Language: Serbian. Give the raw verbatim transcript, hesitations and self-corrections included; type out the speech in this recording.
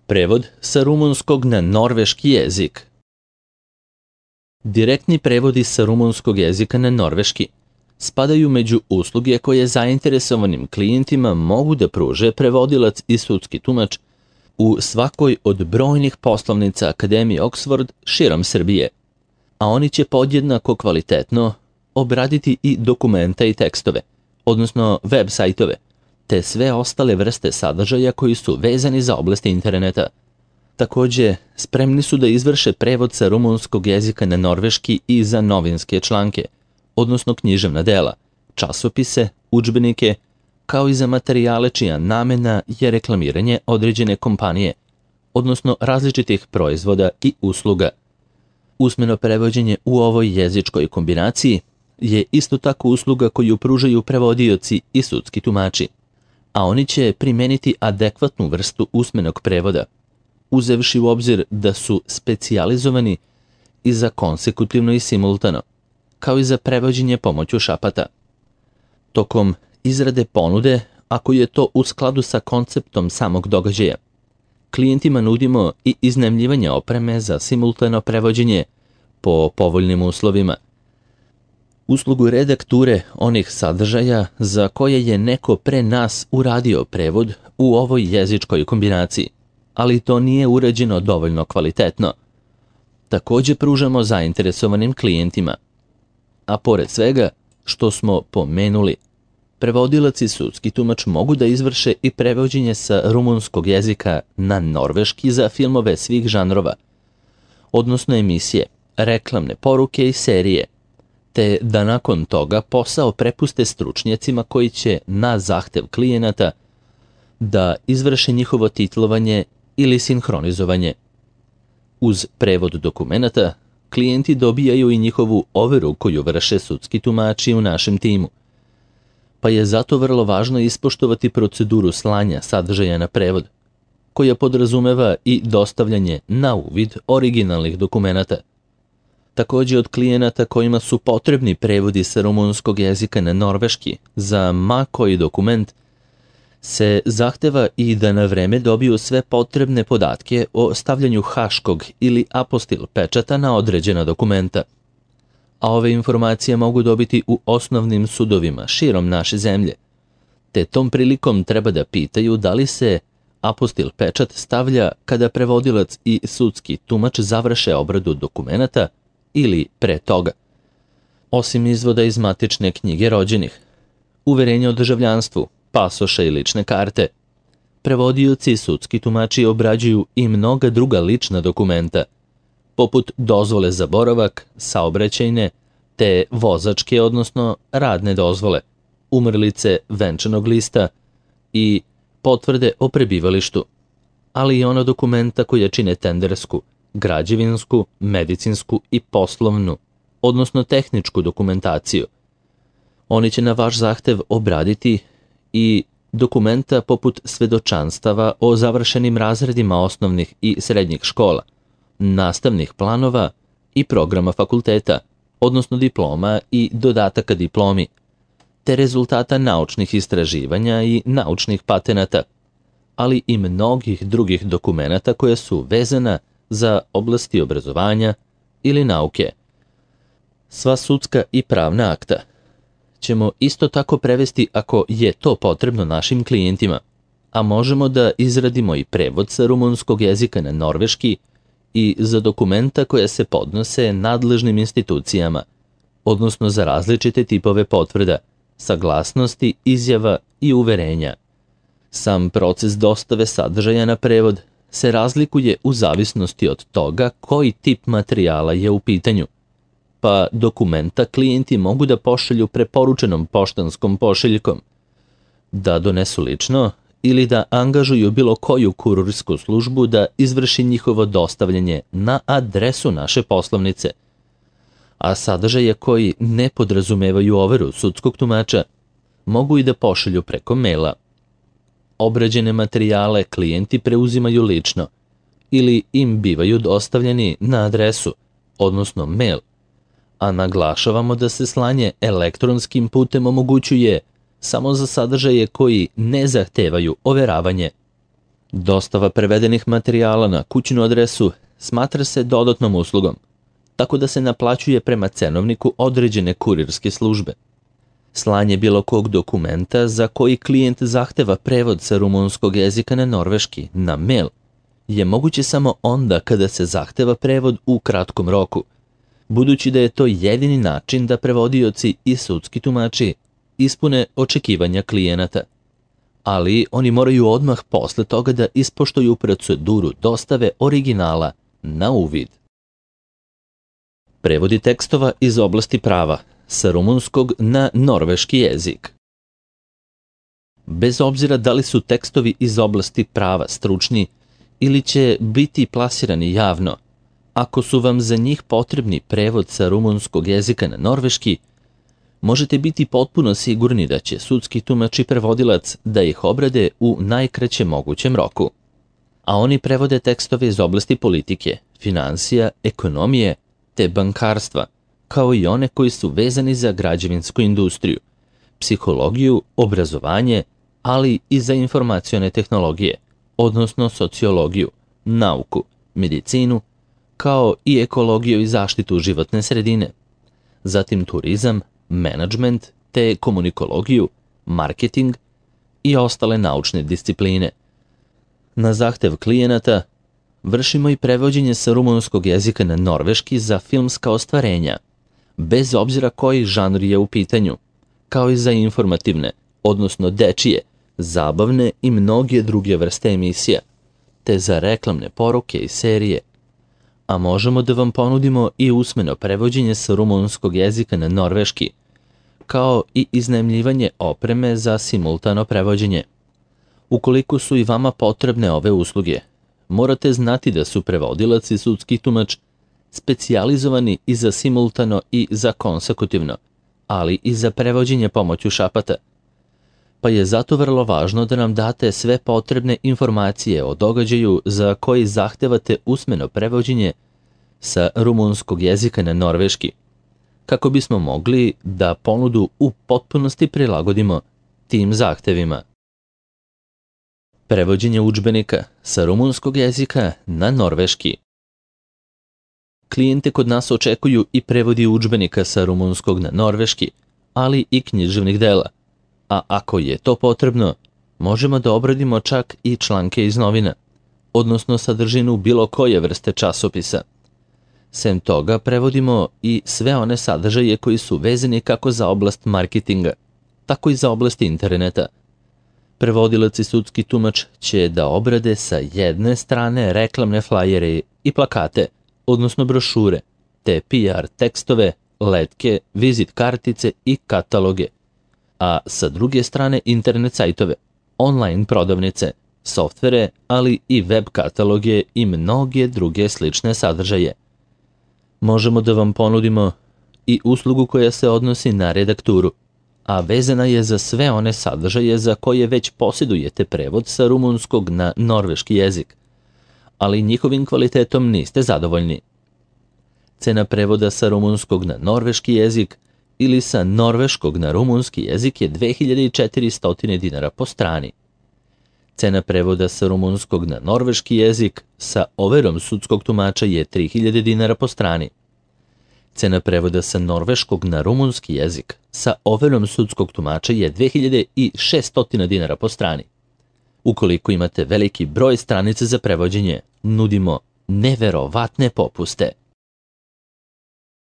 Prevod sa rumunskog na norveški jezik. Direktni prevodi sa rumunskog jezika na norveški spadaju među usluge koje zainteresovanim klijentima mogu da pruže prevodilac i sudski tumač u svakoj od brojnih poslovnica Akademije Oxford širom Srbije, a oni će podjednako kvalitetno obraditi i dokumenta i tekstove, odnosno web sajtove, te sve ostale vrste sadržaja koji su vezani za oblasti interneta. Takođe, spremni su da izvrše prevod sa rumunskog jezika na norveški i za novinske članke, odnosno književna dela, časopise, udžbenike, kao i za materijale čija namena je reklamiranje određene kompanije, odnosno različitih proizvoda i usluga. Usmeno prevođenje u ovoj jezičkoj kombinaciji je isto tako usluga koju pružaju prevodioci i sudski tumači, a oni će primeniti adekvatnu vrstu usmenog prevoda, uzevši u obzir da su specijalizovani i za konsekutivno i simultano, kao i za prevođenje pomoću šapata. Tokom izrade ponude, ako je to u skladu sa konceptom samog događaja, klijentima nudimo i iznajmljivanje opreme za simultano prevođenje po povoljnim uslovima, uslugu redakture onih sadržaja za koje je neko pre nas uradio prevod u ovoj jezičkoj kombinaciji, ali to nije urađeno dovoljno kvalitetno. Takođe pružamo zainteresovanim klijentima, a pored svega što smo pomenuli, prevodilac i sudski tumač mogu da izvrše i prevođenje sa rumunskog jezika na norveški za filmove svih žanrova, odnosno emisije, reklamne poruke i serije, te da nakon toga posao prepuste stručnjacima koji će na zahtev klijenata da izvrše njihovo titlovanje ili sinhronizovanje. Uz prevod dokumenata, klijenti dobijaju i njihovu overu koju vrše sudski tumači u našem timu, pa je zato vrlo važno ispoštovati proceduru slanja sadržaja na prevod, koja podrazumeva i dostavljanje na uvid originalnih dokumenata. Takođe od klijenata kojima su potrebni prevodi sa rumunskog jezika na norveški za ma koji dokument se zahteva i da na vreme dobiju sve potrebne podatke o stavljanju haškog ili apostil pečata na određena dokumenta. A ove informacije mogu dobiti u osnovnim sudovima širom naše zemlje, te tom prilikom treba da pitaju da li se apostil pečat stavlja kada prevodilac i sudski tumač završe obradu dokumenata ili pre toga. Osim izvoda iz matične knjige rođenih, uverenja o državljanstvu, pasoša i lične karte, prevodioci i sudski tumači obrađuju i mnoga druga lična dokumenta, poput dozvole za boravak, saobraćajne, te vozačke, odnosno radne dozvole, umrlice, venčanog lista i potvrde o prebivalištu, ali i ona dokumenta koja čine tendersku, građevinsku, medicinsku i poslovnu, odnosno tehničku dokumentaciju. Oni će na vaš zahtev obraditi i dokumenta poput svedočanstava o završenim razredima osnovnih i srednjih škola, nastavnih planova i programa fakulteta, odnosno diploma i dodataka diplomi, te rezultata naučnih istraživanja i naučnih patenata, ali i mnogih drugih dokumenata koja su vezana za oblasti obrazovanja ili nauke. Sva sudska i pravna akta ćemo isto tako prevesti ako je to potrebno našim klijentima, a možemo da izradimo i prevod sa rumunskog jezika na norveški i za dokumenta koja se podnose nadležnim institucijama, odnosno za različite tipove potvrda, saglasnosti, izjava i uverenja. Sam proces dostave sadržaja na prevod se razlikuje u zavisnosti od toga koji tip materijala je u pitanju, pa dokumenta klijenti mogu da pošalju preporučenom poštanskom pošiljkom, da donesu lično ili da angažuju bilo koju kurirsku službu da izvrši njihovo dostavljanje na adresu naše poslovnice, a sadržaje koji ne podrazumevaju overu sudskog tumača mogu i da pošalju preko maila. Obrađene materijale klijenti preuzimaju lično ili im bivaju dostavljeni na adresu, odnosno mail, a naglašavamo da se slanje elektronskim putem omogućuje samo za sadržaje koji ne zahtevaju overavanje. Dostava prevedenih materijala na kućnu adresu smatra se dodatnom uslugom, tako da se naplaćuje prema cenovniku određene kurirske službe. Slanje bilo kog dokumenta za koji klijent zahteva prevod sa rumunskog jezika na norveški na mail je moguće samo onda kada se zahteva prevod u kratkom roku, budući da je to jedini način da prevodioci i sudski tumači ispune očekivanja klijenata. Ali oni moraju odmah posle toga da ispoštuju proceduru dostave originala na uvid. Prevodi tekstova iz oblasti prava sa rumunskog na norveški jezik. Bez obzira da li su tekstovi iz oblasti prava stručni ili će biti plasirani javno, ako su vam za njih potrebni prevod sa rumunskog jezika na norveški, možete biti potpuno sigurni da će sudski tumač i prevodilac da ih obrade u najkraćem mogućem roku. A oni prevode tekstove iz oblasti politike, finansija, ekonomije te bankarstva, kao i one koji su vezani za građevinsku industriju, psihologiju, obrazovanje, ali i za informacione tehnologije, odnosno sociologiju, nauku, medicinu, kao i ekologiju i zaštitu životne sredine, zatim turizam, menadžment te komunikologiju, marketing i ostale naučne discipline. Na zahtev klijenata vršimo i prevođenje sa rumunskog jezika na norveški za filmska ostvarenja, bez obzira koji žanr je u pitanju, kao i za informativne, odnosno dečije, zabavne i mnoge druge vrste emisija, te za reklamne poruke i serije. A možemo da vam ponudimo i usmeno prevođenje sa rumunskog jezika na norveški, kao i iznajmljivanje opreme za simultano prevođenje. Ukoliko su i vama potrebne ove usluge, morate znati da su prevodilac i sudski tumač specijalizovani i za simultano i za konsekutivno, ali i za prevođenje pomoću šapata. Pa je zato vrlo važno da nam date sve potrebne informacije o događaju za koji zahtevate usmeno prevođenje sa rumunskog jezika na norveški, kako bismo mogli da ponudu u potpunosti prilagodimo tim zahtevima. Prevođenje udžbenika sa rumunskog jezika na norveški. Klijente kod nas očekuju i prevodi udžbenika sa rumunskog na norveški, ali i književnih dela. A ako je to potrebno, možemo da obradimo čak i članke iz novina, odnosno sadržinu bilo koje vrste časopisa. Sem toga, prevodimo i sve one sadržaje koji su vezani kako za oblast marketinga, tako i za oblast interneta. Prevodilac i sudski tumač će da obrade sa jedne strane reklamne flajere i plakate, odnosno brošure, te P R tekstove, letke, vizit kartice i kataloge, a sa druge strane internet sajtove, online prodavnice, softvere, ali i web kataloge i mnoge druge slične sadržaje. Možemo da vam ponudimo i uslugu koja se odnosi na redakturu, a vezana je za sve one sadržaje za koje već posjedujete prevod sa rumunskog na norveški jezik, ali njihovim kvalitetom niste zadovoljni. Cena prevoda sa rumunskog na norveški jezik ili sa norveškog na rumunski jezik je dve hiljade četiristo dinara po strani. Cena prevoda sa rumunskog na norveški jezik sa overom sudskog tumača je tri hiljade dinara po strani. Cena prevoda sa norveškog na rumunski jezik sa overom sudskog tumača je dve hiljade šesto dinara po strani. Ukoliko imate veliki broj stranica za prevođenje, nudimo neverovatne popuste.